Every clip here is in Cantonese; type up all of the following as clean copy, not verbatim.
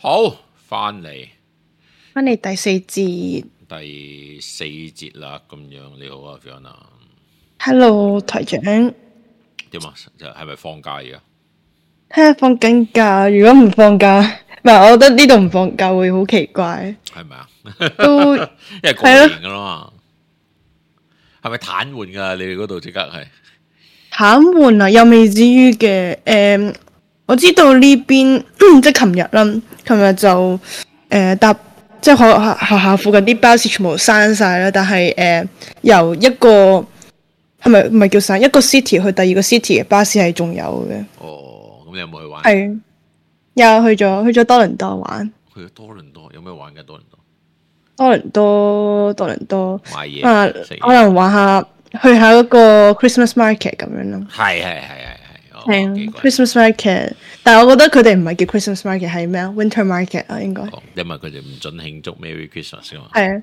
好，翻嚟第四節。第四節啦，咁樣你好啊 Fiona。Hello， 台長。點啊？就係咪放假而家？睇下放緊假，如果唔放假，唔係，我覺得呢度唔放假會好奇怪。係咪啊？都因為過年噶啦嘛，係咪癱瘓噶？你哋嗰度即刻係癱瘓啊？又未至於嘅。我知道呢邊即係琴日啦，琴日就搭即係學校附近啲巴士全部閂晒啦，但係由一個係咪唔係叫閂一個 city 去第二個 city 嘅巴士係仲有嘅。哦，咁你有冇去玩？係有去咗多倫多玩。去咗多倫多有咩玩嘅？多倫多買嘢可能玩下去下嗰個 Christmas market 咁樣咯。係 Christmas market， 但係我覺得佢哋唔係叫 Christmas market， 係咩啊 ？Winter market 啊，應該。因為佢哋唔準慶祝 Merry Christmas 噶嘛。係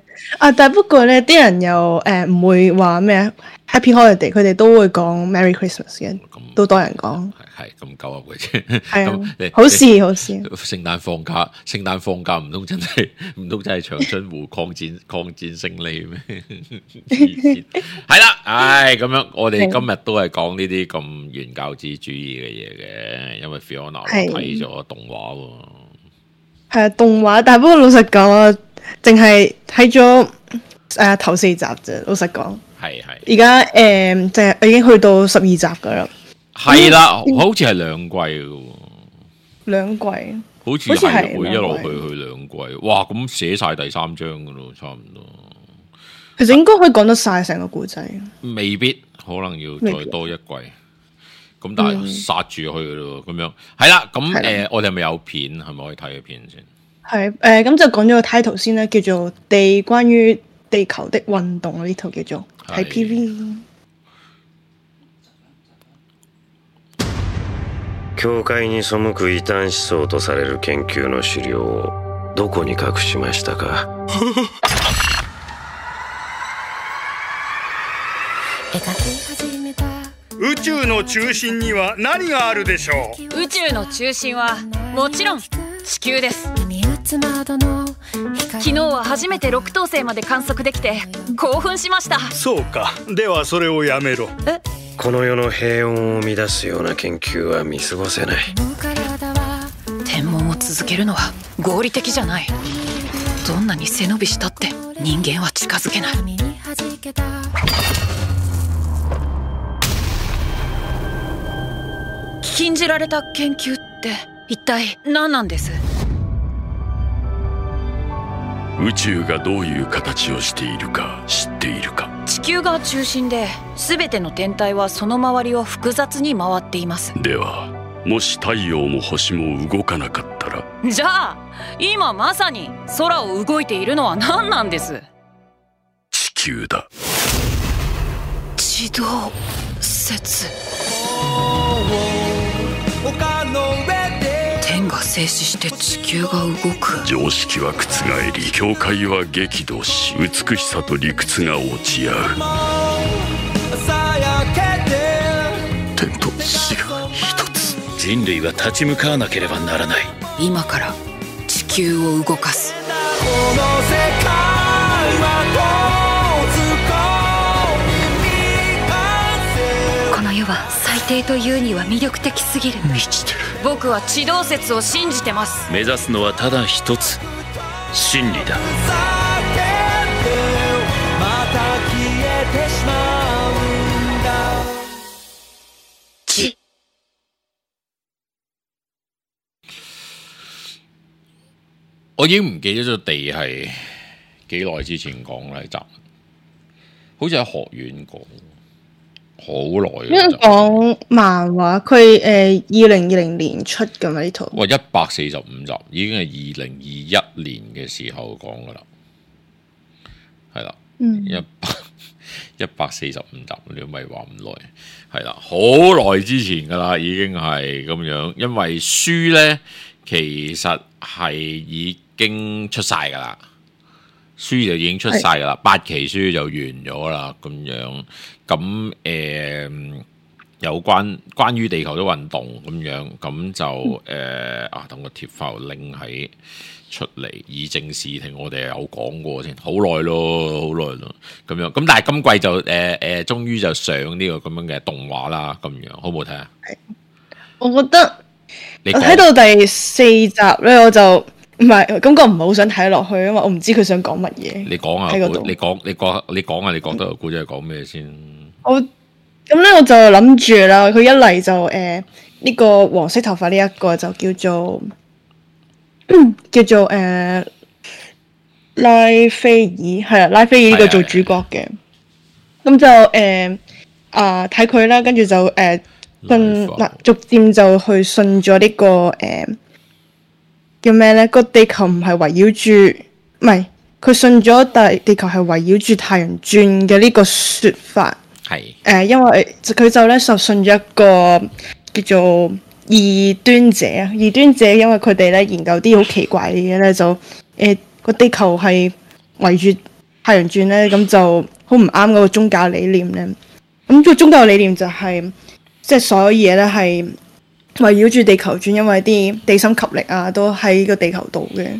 但係不過咧，啲人又唔會話咩啊 Happy Holiday，佢哋都會講 Merry Christmas 嘅，都多人講。係咁鳩噏嘅啫。係好事。聖誕放假唔通真係長春湖抗戰勝利咩？係啦，咁樣我哋今日都係講呢啲咁原教旨主義嘅嘢嘅，因為 Fiona 睇咗動畫喎。係啊，動畫，但係不過老實講啊，淨係睇咗頭4集啫。老實講，係而家就係已經去到12集噶啦。係啦，好似係2季嘅喎。2季，好似係會一路去2季。哇，咁寫晒第3章噶咯，差唔多。其實應該可以講得晒成個故仔。未必，可能要再多1季。咁但係殺住去嘅咯，咁樣係啦。咁我哋係咪有片？係咪可以睇嘅片先？係咁就講咗個 title 先啦，叫做關於地球的運動，呢套叫做係 PV。教會に背く異端思想とされる研究の資料をどこに隠しましたか？宇宙の中心には何があるでしょう？宇宙の中心はもちろん地球です。昨日は初めて6等星まで観測できて興奮しました。そうか、ではそれをやめろ。この世の平穏を乱すような研究は見過ごせない。天文を続けるのは合理的じゃない。どんなに背伸びしたって人間は近づけない。禁じられた研究って一体何なんです？宇宙がどういう形をしているか知っているか？地球が中心で全ての天体はその周りを複雑に回っています。ではもし太陽も星も動かなかったら？じゃあ今まさに空を動いているのは何なんです？地球だ。地動説。天が静止して地球が動く。常識は覆り、境界は激怒し、美しさと理屈が落ち合う。天と地が一つ。人類は立ち向かわなければならない。今から地球を動かす。この世は最低というには魅力的すぎる。満ちてる。僕は地動説を信じてます。目指すのはただ一つ、真理だ。地。我已經唔記得咗地係幾耐之前講啦，集好似喺學院講。好耐因為講漫畫，佢2020年出㗎嘛呢套。哇，145集已經係2021年嘅時候講噶啦，係啦，145集，你都咪話唔耐，係啦，好耐之前噶啦，已經係咁樣，因為書咧其實係已經出晒噶啦。書就已經出晒噶啦，8期書就完咗啦，咁樣咁有關於地球嘅運動咁樣，咁就等個貼翻個 link 喺出嚟，以正視聽，我哋有講過先，好耐咯，咁樣，咁但係今季就終於就上呢個咁樣嘅動畫啦，咁樣好唔好睇啊？我覺得你我睇到第4集咧，我就唔係感覺唔係好想睇落去，因為我唔知佢想講乜嘢。你講啊，喺嗰度你講啊，你覺得個故仔係講咩先？咁咧我就諗住啦，佢一嚟就呢個黃色頭髮呢一個就叫做拉菲爾，係啦，拉菲爾呢個做主角嘅。咁就睇佢啦，跟住就逐漸就去信咗呢個叫咩咧？個地球唔係圍繞住，唔係佢信咗地球係圍繞住太陽轉嘅呢個說法。係因為佢就咧就信咗一個叫做異端者啊，異端者因為佢哋咧研究啲好奇怪嘅嘢咧，就個地球係圍住太陽轉咧，咁就好唔啱嗰個宗教理念咧。咁個宗教理念就係即係所有嘢咧係圍繞住地球轉，因為啲地心吸力啊都喺個地球度嘅。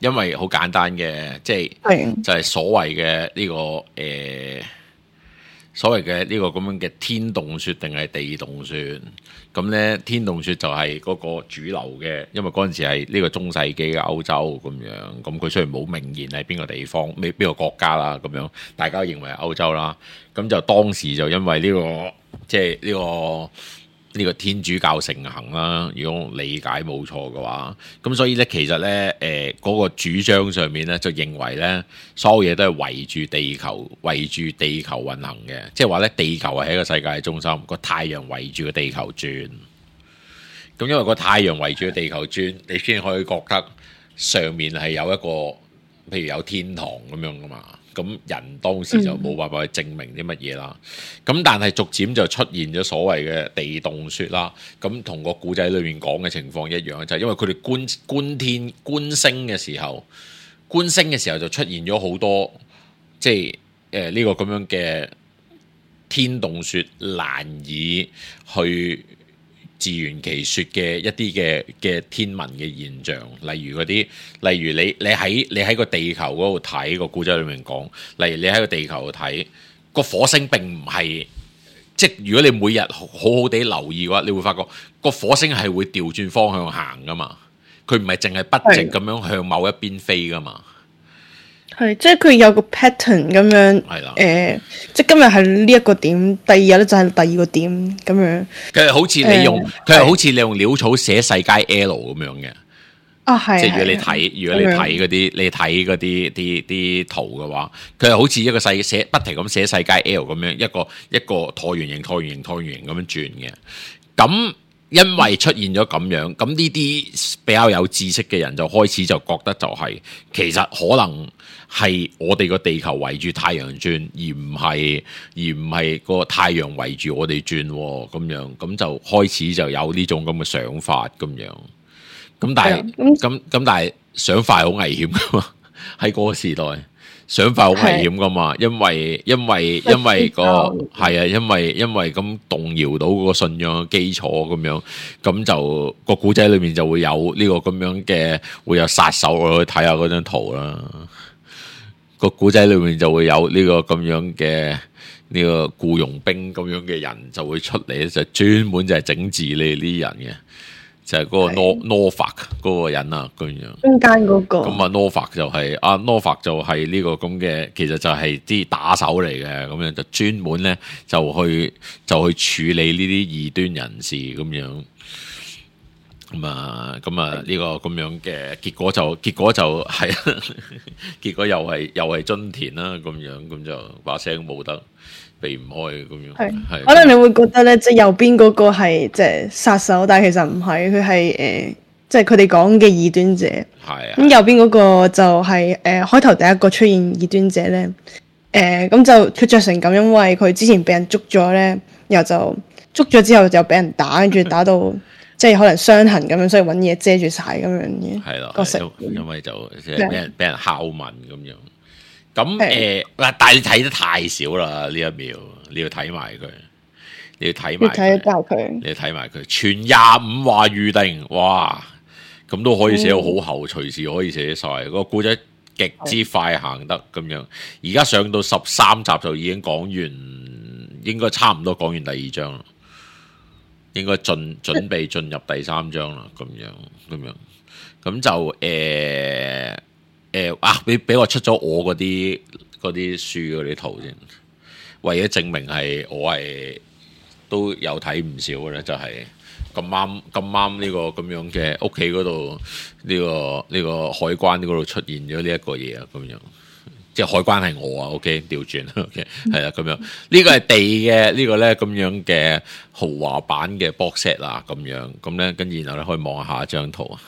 因為好簡單嘅，即係就係所謂嘅呢個所謂嘅呢個咁樣嘅天動說定係地動說，咁咧天動說就係嗰個主流嘅，因為嗰陣時係呢個中世紀嘅歐洲咁樣，咁佢雖然冇明言係邊個地方、邊個國家啦，咁樣大家認為係歐洲啦，咁就當時就因為呢個即係呢個天主教盛行啦，如果理解冇錯嘅話，咁所以咧其實咧嗰個主張上面咧就認為咧所有嘢都係圍住地球運行嘅，即係話咧地球係一個世界嘅中心，個太陽圍住個地球轉。咁因為個太陽圍住個地球轉，你先可以覺得上面係有一個譬如有天堂咁樣噶嘛。咁人當時就冇辦法去證明啲乜嘢啦。咁但係逐漸就出現咗所謂嘅地動說啦。咁同個古仔裏面講嘅情況一樣，就係因為佢哋觀星嘅時候就出現咗好多即係呢個咁樣嘅天動說難以去自圓其說嘅一啲嘅天文嘅現象，例如你喺個地球嗰度睇個古仔裏面講，例如你喺個地球度睇個火星並唔係，即係如果你每日好好地留意嘅話，你會發覺個火星係會調轉方向行噶嘛，佢唔係淨係不直咁樣向某一邊飛噶嘛。係，即係佢有個 pattern 咁樣，即係今日係呢一個點，第二日咧就係第二個點咁樣。佢係好似你用潦草寫世界 L 咁樣嘅。啊，係。即係如果你睇嗰啲圖嘅話，佢係好似一個不停咁寫世界 L 咁樣，一個橢圓形咁樣轉嘅。咁因為出現咗咁樣，咁呢啲比較有知識嘅人就開始就覺得就係其實可能係我哋個地球圍住太陽轉，而唔係個太陽圍住我哋轉咁樣，咁就開始就有呢種咁嘅想法咁樣。咁但係想法好危險噶嘛，喺嗰個時代。想法好危險噶嘛，因為咁動搖到嗰個信仰嘅基礎咁樣，咁就個古仔裏面就會有呢個咁樣嘅，會有殺手，我去睇下嗰張圖啦。個古仔裏面就會有呢個咁樣嘅呢個僱傭兵咁樣嘅人就會出嚟，就專門就係整治你呢啲人嘅。就係嗰個 Norfolk 嗰個人啊，咁樣中間嗰個。咁啊 Norfolk 就係呢個咁嘅，其實就係啲打手嚟嘅，咁樣就專門咧就去處理呢啲異端人士咁樣。咁啊呢個咁樣嘅結果就係結果又係津田啦，咁樣咁就把聲冇得避唔開咁樣，係可能你會覺得咧，即係右邊嗰個係即係殺手，但係其實唔係，佢係即係佢哋講嘅異端者。係咁右邊嗰個就係開頭第一個出現異端者咧，咁就佢着成咁，因為佢之前俾人捉咗咧，然後就捉咗之後就俾人打，跟住打到即係可能傷痕咁樣，所以揾嘢遮住晒咁樣嘅。係咯，因為就即係俾人拷問咁樣。咁但係你睇得太少啦呢一秒，你要睇埋佢。你要睇埋睇教佢，你要睇埋佢，全25話預定，哇！咁都可以寫到好厚，隨時可以寫晒。個故仔極之快行得咁樣。而家上到13集就已經講完，應該差唔多講完第2章啦。應該準備進入第3章啦，咁樣就俾我出咗我嗰啲書嗰啲圖先，為咗證明係我係都有睇唔少嘅咧，就係咁啱呢個咁樣嘅屋企嗰度呢個海關嗰度出現咗呢一個嘢啊，咁樣即係海關係我啊 ，OK 調轉 ，OK 係啦，咁樣呢個係地嘅呢個咧咁樣嘅豪華版嘅 box set 啊，咁咧跟住然後咧可以望下一張圖啊。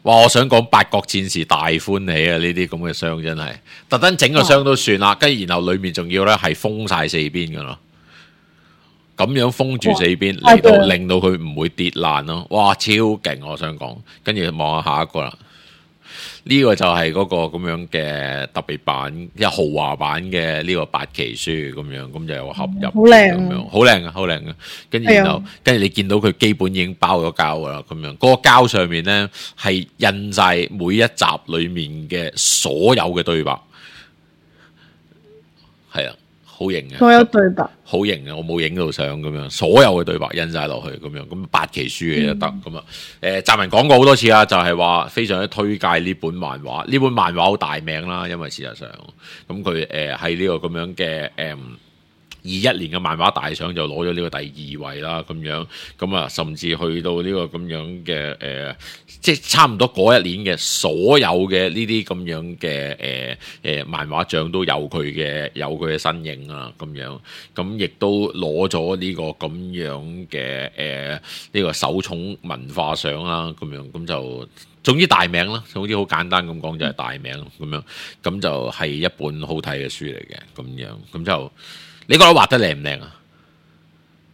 哇！我想講八國戰士大歡喜啊！呢啲咁嘅箱真係特登整個箱都算啦，跟住然後裡面仲要咧係封晒4邊噶咯，咁樣封住4邊令到佢唔會跌爛咯。哇！超勁！我想講，跟住望下下一個啦。呢個就係嗰個咁樣嘅特別版，即係豪華版嘅呢個8期書咁樣，咁就有合入，好靚咁樣，好靚啊，好靚啊！跟住然後，跟住你見到佢基本已經包咗膠噶啦，咁樣嗰個膠上面咧係印晒每一集裡面嘅所有嘅對白，係啊。好型嘅，所有對白好型嘅，我冇影到相咁樣，所有嘅對白印晒落去咁樣，咁8期書嘅就得咁啊。澤文講過好多次啦，就係話非常之推介呢本漫畫，呢本漫畫好大名啦，因為事實上咁佢喺呢個咁樣嘅21年嘅漫畫大賞就攞咗呢個第2位啦，咁樣咁啊，甚至去到呢個咁樣嘅即係差唔多嗰一年嘅所有嘅呢啲咁樣嘅漫畫獎都有佢嘅身影啊，咁樣咁亦都攞咗呢個咁樣嘅呢個首寵文化賞啦，咁樣咁就總之大名啦，總之好簡單咁講就係大名咁樣，咁就係一本好睇嘅書嚟嘅，咁樣咁就。你覺得畫得靚唔靚啊？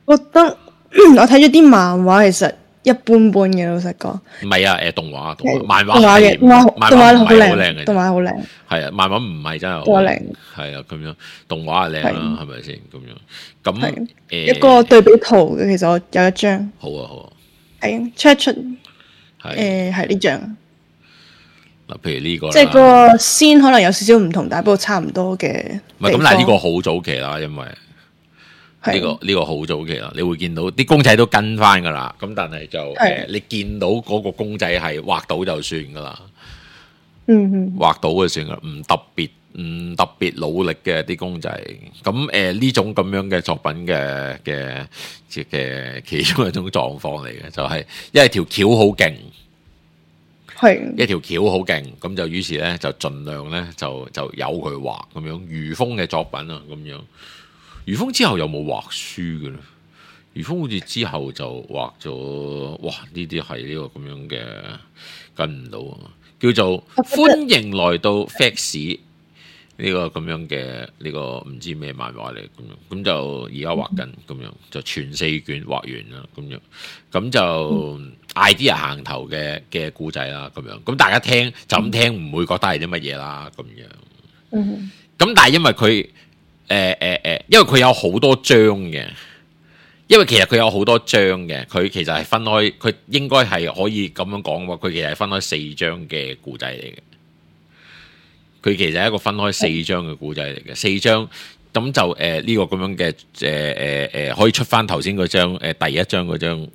覺得我睇咗啲漫畫，其實一般般嘅，老實講。唔係啊，動畫，漫畫動畫嘅，漫畫唔係好靚嘅，動畫好靚。係啊，漫畫唔係真係好靚。係啊，咁樣動畫係靚啦，係咪先？咁樣咁一個對比圖嘅，其實我有一張。好啊，好啊。係出係呢張。嗱，譬如呢個，即係個先可能有少少唔同，但係不過差唔多嘅。唔係咁，但係呢個好早期啦，因為呢個好早期啦，你會見到啲公仔都跟翻噶啦。咁但係就你見到嗰個公仔係畫到就算噶啦。畫到就算噶啦，唔特別努力嘅啲公仔。咁呢種咁樣嘅作品嘅其中一種狀況嚟嘅，就係因為條橋好勁。一條橋好勁，咁就於是咧就盡量咧就由佢畫咁樣。余風嘅作品啊，咁樣。余風之後有冇畫書嘅咧？余風好似之後就畫咗，哇！呢啲係呢個咁樣嘅跟唔到啊，叫做歡迎來到 Fax 呢個咁樣嘅呢個唔知咩漫畫嚟咁樣，咁就而家畫緊咁樣，就全4卷畫完啦咁樣，咁就 idea 行頭嘅故仔啦咁樣，咁大家聽就咁聽唔會覺得係啲乜嘢啦咁樣，咁但係因為佢因為佢有好多章嘅，因為其實佢有好多章嘅，佢其實係分開，佢應該係可以咁樣講喎，佢其實係分開4章嘅故仔嚟嘅。佢其實係一個分開4章嘅故仔嚟嘅，4章咁就呢個咁樣嘅可以出翻頭先嗰張第一張嗰張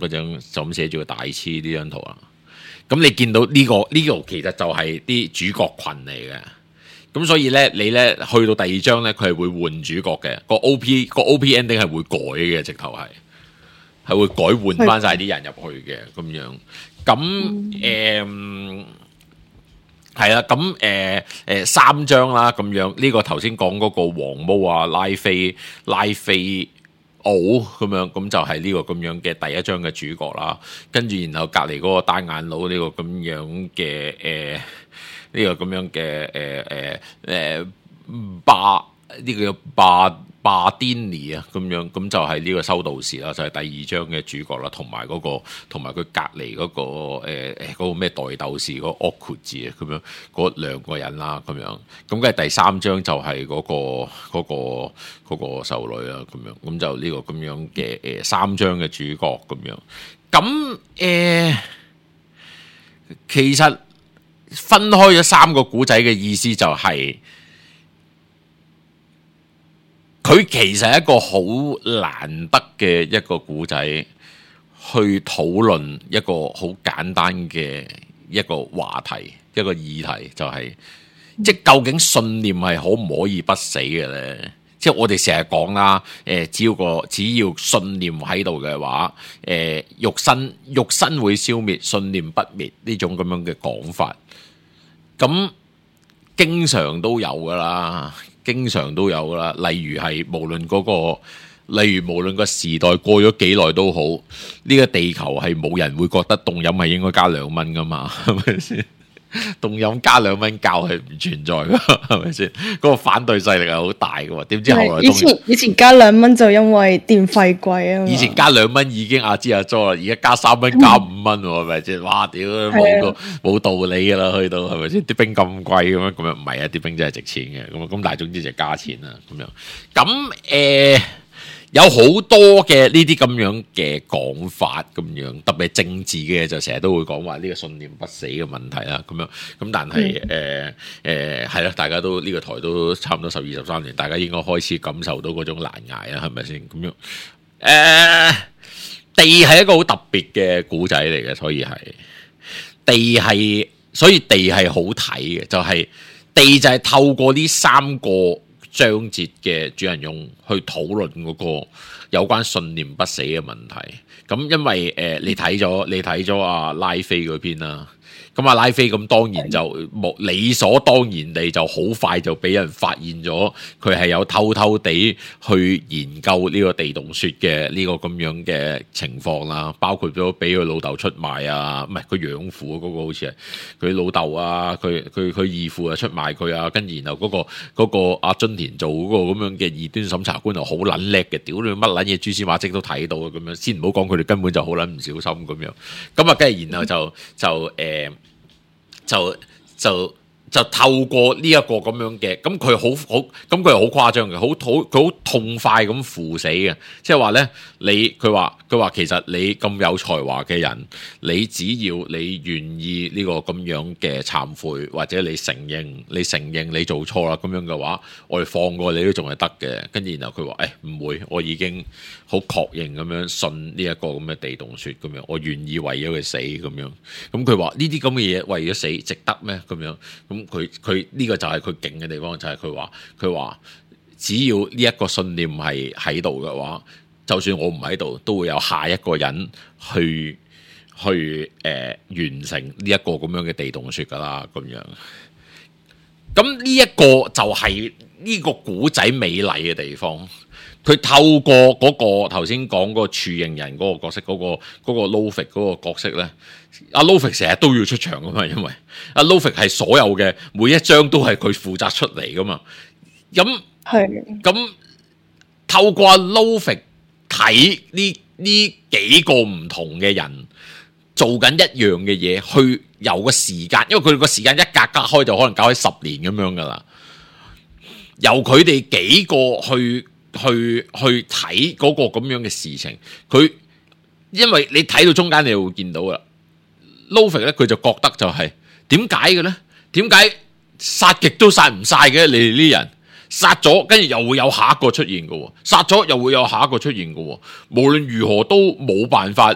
就咁寫住個大黐呢張圖啦。咁你見到呢個其實就係啲主角群嚟嘅。咁所以咧，你咧去到第2章咧，佢係會換主角嘅，個 OP ending 係會改嘅，直頭係會改換翻晒啲人入去嘅咁樣。咁係啦，咁3章啦，咁樣呢個頭先講嗰個黃毛啊，拉菲奧咁樣，咁就係呢個咁樣嘅第1章嘅主角啦。跟住然後隔離嗰個單眼佬呢個咁樣嘅呢個咁樣嘅巴呢個巴甸尼啊，咁樣咁就係呢個修道士啦，就係、是、第2章嘅主角啦，同埋佢隔離嗰個嗰個咩代鬥士嗰個奧庫字啊，咁樣嗰2個人啦，咁樣咁跟住第3章就係嗰個修女啦，咁樣咁就呢個咁樣嘅3章嘅主角咁樣，咁其實分開咗3個古仔嘅意思就係、佢其實係一個好難得嘅一個古仔，去討論一個好簡單嘅一個話題，一個議題，就係、即係究竟信念係可唔可以不死嘅咧？即係我哋成日講啦，只要信念喺度嘅話，肉身會消滅，信念不滅呢種咁樣嘅講法，咁經常都有噶啦。經常都有啦，例如無論個時代過咗幾耐都好，呢個地球係冇人會覺得凍飲係應該加2蚊噶嘛，係咪先？凍飲加2蚊教係唔存在噶，係咪先？嗰個反對勢力係好大噶喎，點知後來以前加2蚊就因為電費貴啊嘛。以前加2蚊已經阿支阿佐啦，而家加3蚊加5蚊喎，係咪先？哇！屌冇道理噶啦，去到係咪先？啲冰咁貴咁樣唔係啊？啲冰真係值錢嘅，咁但係總之就加錢啦，咁樣咁有好多嘅呢啲咁樣嘅講法咁樣，特別係政治嘅就成日都會講話呢個信念不死嘅問題啦，咁樣咁但係係啦，大家都呢個台都差唔多12、13年，大家應該開始感受到嗰種難捱啦，係咪先？咁樣地係一個好特別嘅古仔嚟嘅，所以地係好睇嘅，就係地就係透過呢3個章節嘅主人翁去討論嗰個有關信念不死嘅問題。咁因為你睇咗阿拉菲嗰篇啦，咁阿拉菲咁當然就理所當然地就好快就俾人發現咗佢係有偷偷地去研究呢個地洞穴嘅呢個咁樣嘅情況啦，包括咗俾佢老豆出賣啊，唔係佢養父嗰個好似係佢老豆啊，佢義父啊出賣佢啊，跟住然後嗰個阿津田做嗰個咁樣嘅異端審查官又好撚叻嘅，屌你乜撚嘢蛛絲馬跡都睇到啊，咁樣先唔好講佢哋根本就好撚唔小心咁樣，咁啊跟住然後就透過呢一個咁樣嘅，咁佢係好誇張嘅，佢好痛快咁赴死嘅，即係話咧，佢話其實你咁有才華嘅人，你只要你願意呢個咁樣嘅懺悔，或者你承認你做錯啦，咁樣嘅話，我哋放過你都仲係得嘅。跟住然後佢話唔會，我已經好確認咁樣信呢一個咁嘅地洞穴咁樣，我願意為咗佢死咁樣。咁佢話呢啲咁嘅嘢為咗死值得咩？咁樣咁佢呢個就係佢勁嘅地方，就係佢話只要呢一個信念係喺度嘅話，就算我唔喺度，都會有下一個人去完成呢一個咁樣嘅地洞穴噶啦，咁樣。咁呢一個就係呢個古仔美麗嘅地方。佢透過嗰個頭先講嗰個處刑人嗰個角色，嗰個 Lofik 嗰個角色咧，阿 Lofik 成日都要出場噶嘛，因為阿 Lofik 係所有嘅每一章都係佢負責出嚟噶嘛。咁透過阿 Lofik 睇呢幾個唔同嘅人做緊一樣嘅嘢，去有個時間，因為佢個時間一格格開就可能搞起10年咁樣噶啦。由佢哋幾個去睇嗰個咁樣嘅事情，佢因為你睇到中間，你會見到啦。Lofik 咧，佢就覺得就係點解嘅咧？點解殺極都殺唔晒嘅？你哋呢人殺咗，跟住又會有下一個出現嘅，殺咗又會有下一個出現嘅。無論如何都冇辦法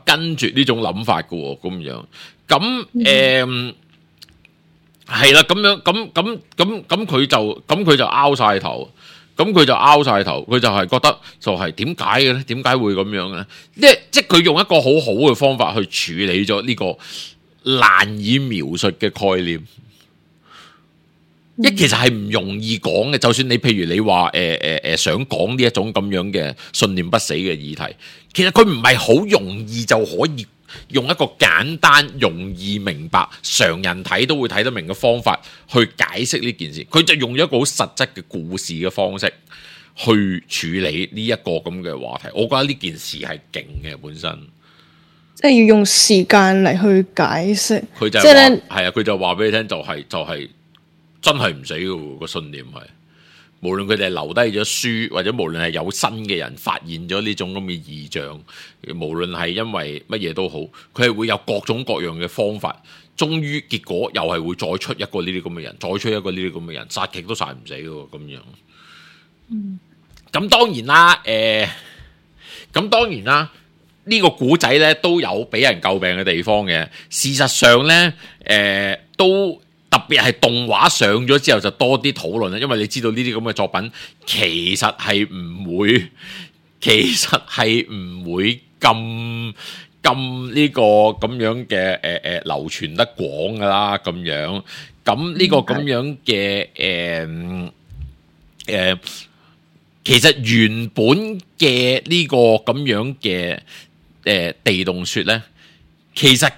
跟住呢種諗法嘅咁樣。咁係啦，咁樣咁佢就拗晒頭。佢就係覺得就係點解嘅咧？點解會咁樣嘅咧？即係佢用一個好好嘅方法去處理咗呢個難以描述嘅概念。其實係唔容易講嘅。就算你譬如你話想講呢一種咁樣嘅信念不死嘅議題，其實佢唔係好容易就可以用一個簡單、容易明白、常人睇都會睇得明嘅方法去解釋呢件事。佢就用咗一個好實質嘅故事嘅方式去處理呢一個咁嘅話題。我覺得呢件事係勁嘅本身。即係要用時間嚟去解釋。佢就即係咧，係啊，佢就話俾你聽，就係真係唔死嘅喎，個信念係。無論佢哋留低咗書，或者無論係有新嘅人發現咗呢種咁嘅異象，無論係因為乜嘢都好，佢係會有各種各樣嘅方法，終於結果又係會再出一個呢啲咁嘅人，再出一個呢啲咁嘅人，殺極都殺唔死嘅喎，咁樣。咁當然啦，咁當然啦，呢個古仔咧都有俾人詬病嘅地方嘅。事實上咧，都。特別係動畫上咗之後就多啲討論啦，因為你知道呢啲咁嘅作品其實係唔會咁呢個咁樣嘅流傳得廣噶啦咁樣，咁呢個咁樣嘅其實原本嘅呢個咁樣嘅地洞穴咧，其實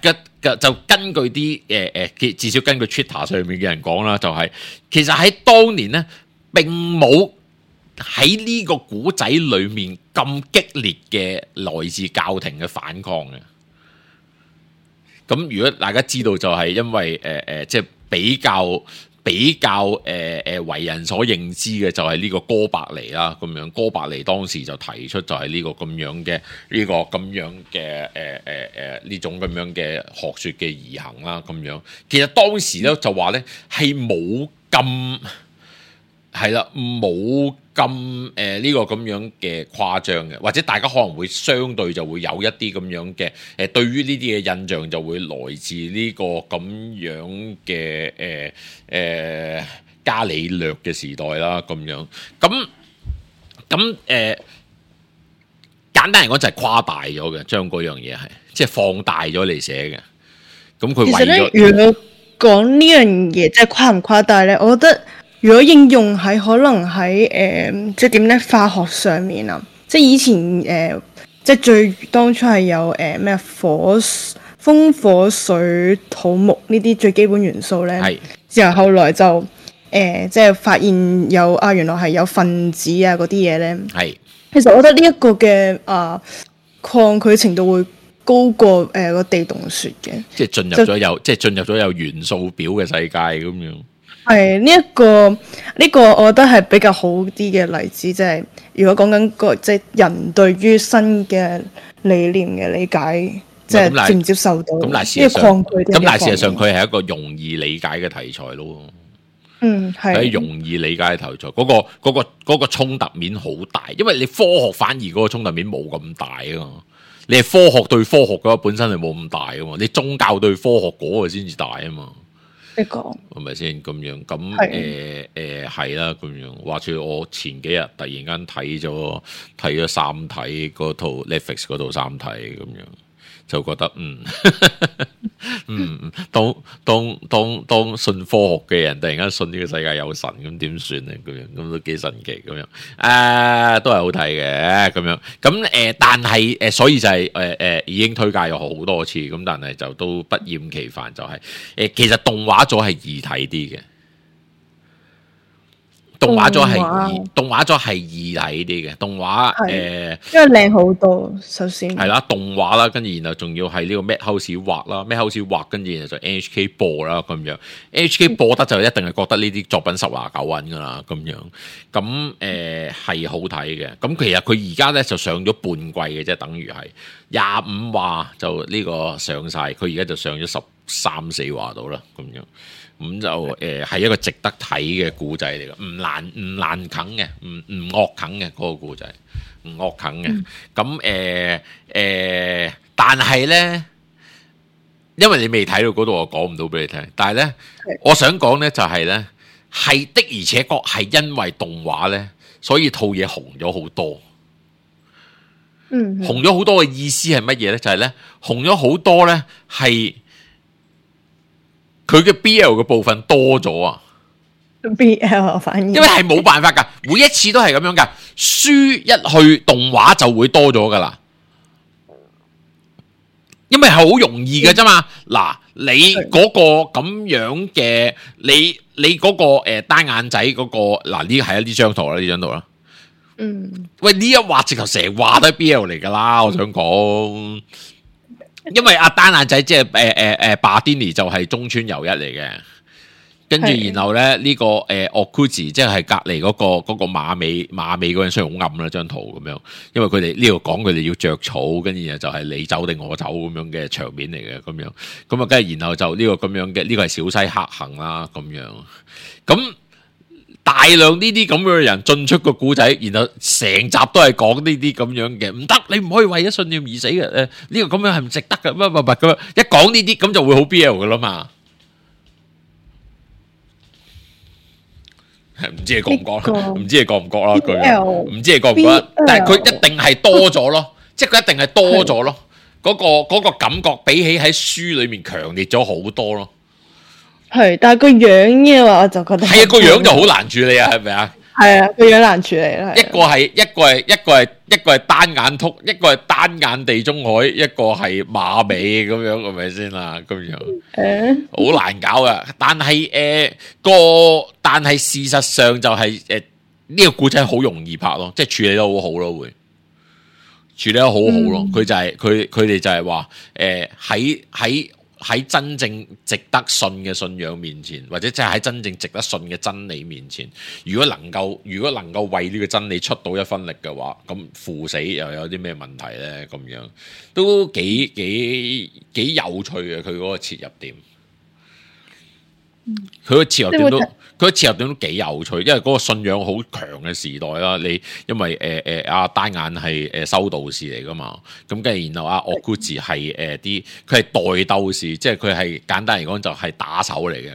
就根據啲至少根據 Twitter 上面嘅人講啦，就係其實喺當年咧並冇喺呢個古仔裏面咁激烈嘅來自教廷嘅反抗嘅。咁如果大家知道就係因為即係比較為人所認知嘅就係呢個哥白尼啦，咁樣哥白尼當時就提出就係呢個咁樣嘅呢種咁樣嘅學說嘅移行啦，咁樣其實當時咧就話咧係冇咁係啦，冇咁呢個咁樣嘅誇張嘅，或者大家可能會相對就會有一啲咁樣嘅對於呢啲嘅印象就會來自呢個咁樣嘅伽利略嘅時代啦，咁樣咁簡單嚟講就係誇大咗嘅，將嗰樣嘢係即係放大咗嚟寫嘅。咁佢為咗其實咧，如果講呢樣嘢即係誇唔誇大咧，我覺得。如果應用喺可能喺即係點咧化學上面啊，即係以前即係最當初係有咩風火水土木呢啲最基本元素咧，之後後來就即係發現有原來係有分子啊嗰啲嘢咧，其實我覺得呢一個嘅抗拒程度會高過個地洞穴嘅，即係進入咗有元素表嘅世界咁樣。係呢一個，我覺得係比較好啲嘅例子，即係如果講緊個即係人對於新嘅理念嘅理解，即係接唔接受到，呢個抗拒咁但係事實上佢係一個容易理解嘅題材咯。係容易理解嘅題材，嗰個衝突面好大，因為你科學反而嗰個衝突面冇咁大啊嘛。你係科學對科學嗰個本身係冇咁大啊嘛，你宗教對科學嗰個先至大啊嘛。係咪先咁樣？咁係啦，咁樣。話說我前幾日突然間睇咗三體嗰套 Netflix 嗰套三體咁樣，就覺得當信科學嘅人突然間信呢個世界有神，咁點算咧？咁樣咁都幾神奇咁樣，都係好睇嘅咁樣。咁但係所以就係已經推介咗好多次，咁但係就都不厭其煩，就係其實動畫組係易睇啲嘅。動畫咗係易睇啲嘅，動畫因為靚好多，首先係啦，動畫啦，跟住然後仲要係呢個 Madhouse 畫啦，Madhouse 畫跟住然後就 NHK 播啦咁樣，NHK 播得就一定係覺得呢啲作品十拿九穩噶啦咁樣，咁係好睇嘅，咁其實佢而家咧就上咗半季嘅啫，等於係25話就呢個上晒，佢而家就上咗13、14話到啦咁樣。咁就係一個值得睇嘅故仔嚟嘅，唔難啃嘅，唔惡啃嘅嗰個故仔，唔惡啃嘅。咁但係咧，因為你未睇到嗰度，我講唔到俾你聽。但係咧，我想講咧就係咧，係的而且確係因為動畫咧，所以套嘢紅咗好多。紅咗好多嘅意思係乜嘢咧？就係咧，紅咗好多咧係。佢嘅 BL 嘅部分多咗啊 ！BL 反而因為係冇辦法㗎，每一次都係咁樣㗎。書一去動畫就會多咗㗎啦，因為係好容易嘅啫嘛。嗱，你嗰個咁樣嘅，你嗰個單眼仔嗰個嗱呢係呢張圖啦，呢張圖啦。喂呢一話直頭成話都係 BL 嚟噶啦，我想講，因為阿單眼仔即係巴甸尼就係中村由一嚟嘅。跟住，然後咧呢、這個Okuji 即係隔離嗰個馬尾嗰陣，雖然好暗啦張圖咁樣，因為佢哋呢度講佢哋要着草，跟住然後就係你走定我走咁樣嘅場面嚟嘅咁樣，咁啊跟住然後就呢個咁樣嘅呢個係小西克行啦咁樣，咁大量呢啲咁樣嘅人進出個故仔，然後成集都係講呢啲咁樣嘅，唔得你唔可以為咗信念而死嘅，呢個咁樣係唔值得嘅，乜咁樣一講呢啲咁就會好 BL 嘅啦嘛。唔知你覺唔覺啦？唔知你覺唔覺啦？佢唔知你覺唔覺得？但係佢一定係多咗咯，即係佢一定係多咗咯。嗰個感覺比起喺書裏面強烈咗好多咯。係，但係個樣嘅話，我就覺得係啊，個樣就好難處理啊，係咪啊？係啊，個樣難處理啦。一個係單眼禿，一個係單眼地中海，一個係馬尾咁樣，係咪先啦？咁樣好難搞噶。但係事實上就係呢個故仔好容易拍咯，即係處理得好好咯，會處理得好好咯。佢就係佢哋就係話喺真正值得信嘅信仰面前，或者即係喺真正值得信嘅真理面前，如果能夠為呢個真理出到一分力嘅話，咁赴死又有啲咩問題咧？咁樣都幾有趣嘅，佢嗰個切入點，佢個切入點都幾有趣，因為嗰個信仰好強嘅時代啦。你因為阿單眼係修道士嚟噶嘛，咁跟住然後阿Okuji係佢係代鬥士，即係佢係簡單嚟講就係打手嚟嘅，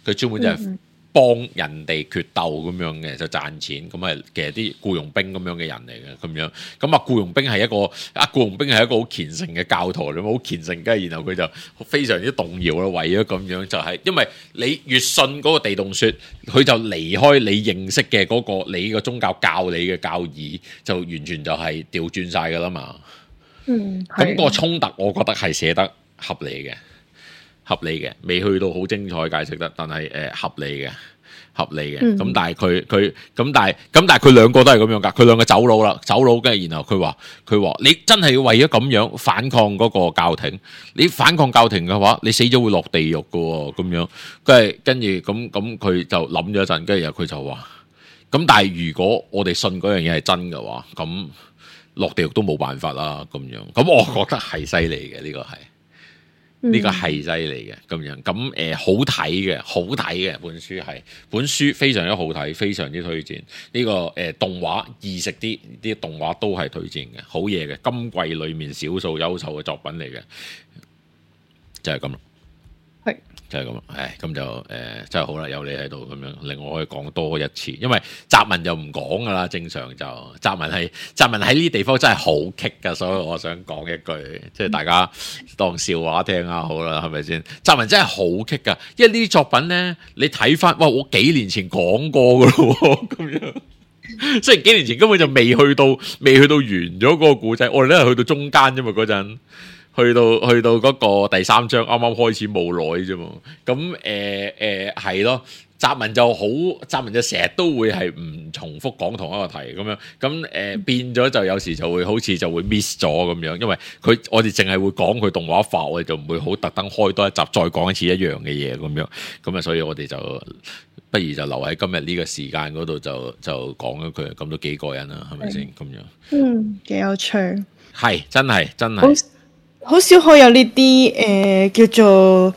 佢專門就係幫人哋決鬥咁樣嘅，就賺錢咁啊。其實啲僱傭兵咁樣嘅人嚟嘅咁樣，咁啊僱傭兵係一個好虔誠嘅教徒，你好虔誠，跟住然後佢就非常之動搖啦。為咗咁樣就係因為你越信嗰個地洞說，佢就離開你認識嘅嗰個你個宗教教你嘅教義，就完全就係調轉晒噶啦嘛。咁個衝突我覺得係寫得合理嘅，未去到好精彩解釋得，但係合理嘅。咁但係佢兩個都係咁樣噶，佢兩個走佬，跟住然後佢話你真係要為咗咁樣反抗嗰個教廷，你反抗教廷嘅話，你死咗會落地獄噶喎，咁樣跟住咁佢就諗咗一陣，跟住然後佢就話，咁但係如果我哋信嗰樣嘢係真嘅話，咁落地獄都冇辦法啦，咁樣，咁我覺得係犀利嘅，呢個係犀利嘅咁樣，咁好睇嘅本書非常之好睇，非常之推薦呢個動畫易食啲動畫都係推薦嘅，好嘢嘅，今季裏面少數優秀嘅作品嚟嘅，就係咁啦。係就係咁啦，咁就真係好啦，有你喺度咁樣，令我可以講多一次，因為澤文就唔講噶啦，正常就澤文喺呢啲地方真係好棘噶，所以我想講一句，即係大家當笑話聽下好啦，係咪先？澤文真係好棘噶，因為呢啲作品咧，你睇翻，哇，我幾年前講過噶咯，咁樣，雖然幾年前根本就未去到完咗嗰個故仔，我哋都係去到中間啫嘛，嗰陣。去到嗰個第三章啱啱開始冇耐啫嘛，咁係咯，澤文就成日都會係唔重複講同一個題咁樣，咁變咗就有時就會好似就會 miss 咗咁樣，因為我哋淨係會講佢動畫化，我哋就唔會好特登開多一集再講一次一樣嘅嘢咁樣，咁啊所以我哋就不如就留喺今日呢個時間嗰度就講咗佢，咁都幾過癮啦，係咪先咁樣？幾有趣，係真係。好少可有呢啲叫做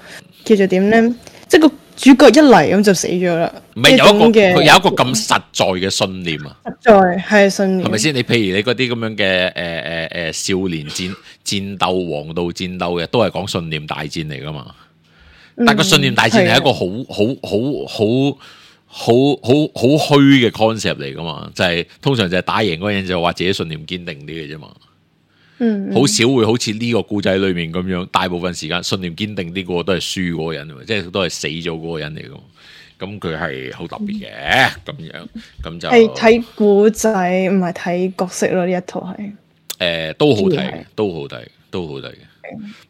點咧？即係個主角一嚟咁就死咗啦。唔係佢有一個咁實在嘅信念啊！實在係信念，係咪先？你譬如你嗰啲咁樣嘅少年戰鬥、王道戰鬥嘅，都係講信念大戰嚟噶嘛？但個信念大戰係一個好虛嘅 concept 嚟噶嘛？就係通常就係打贏嗰個人就話自己信念堅定啲嘅啫嘛。好少會好似呢個故仔裏面咁樣，大部分時間信念堅定啲個都係輸嗰個人，即係都係死咗嗰個人嚟噶。咁佢係好特別嘅，咁樣咁就係睇故仔，唔係睇角色咯。呢一套係都好睇，都好睇嘅。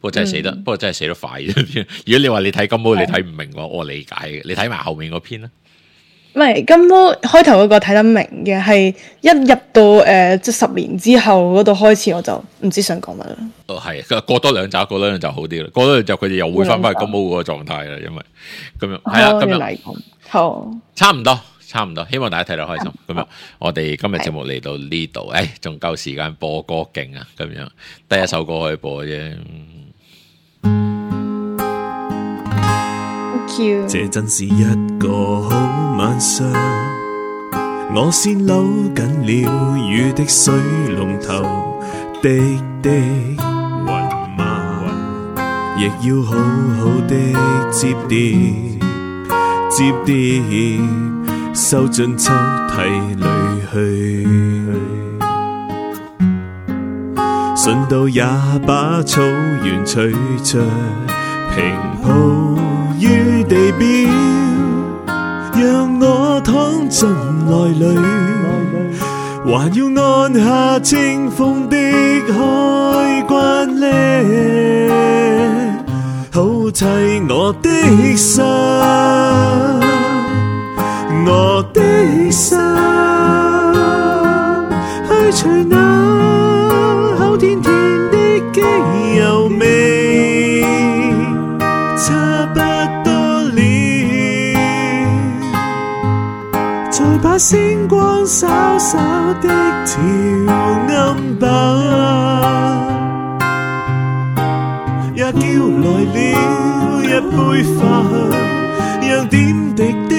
不過真係死得快啫。如果你話你睇金毛，你睇唔明嘅話，我理解嘅。你睇埋後面嗰篇啦。唔係金毛開頭嗰個睇得明嘅，係一入到即係10年之後嗰度開始，我就唔知想講乜啦。係過多2集好啲啦，過多2集佢哋又會翻返去金毛嗰個狀態啦，因為咁樣係啦，咁樣好差唔多，希望大家睇得開心。咁樣我哋今日節目嚟到呢度，仲夠時間播歌勁啊！咁樣得一首歌可以播啫。這真是一個好晚上，我先扭緊了雨的水龍頭，滴滴雲馬，亦要好好的接疊，收進抽屜裏去，順道也把草原隨着平鋪於地表，讓我躺進內裏，還要按下清風的開關呢，好砌我的心，我的心，去除那口甜甜的機油味，差不多了，再把星光稍稍的調暗吧，也叫來了一杯飯，讓點滴的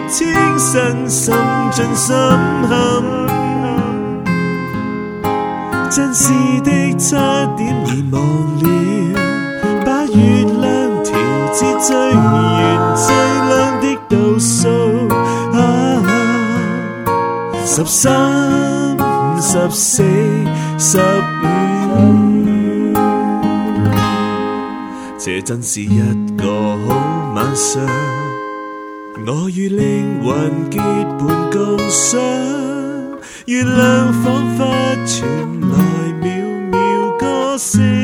清新滲進心坎，真是的差點遺忘了，把月亮調至最圓最亮的度數，13、14、15，這真是一個好晚上，我與靈魂結伴共賞，月亮彷彿傳來渺渺歌聲。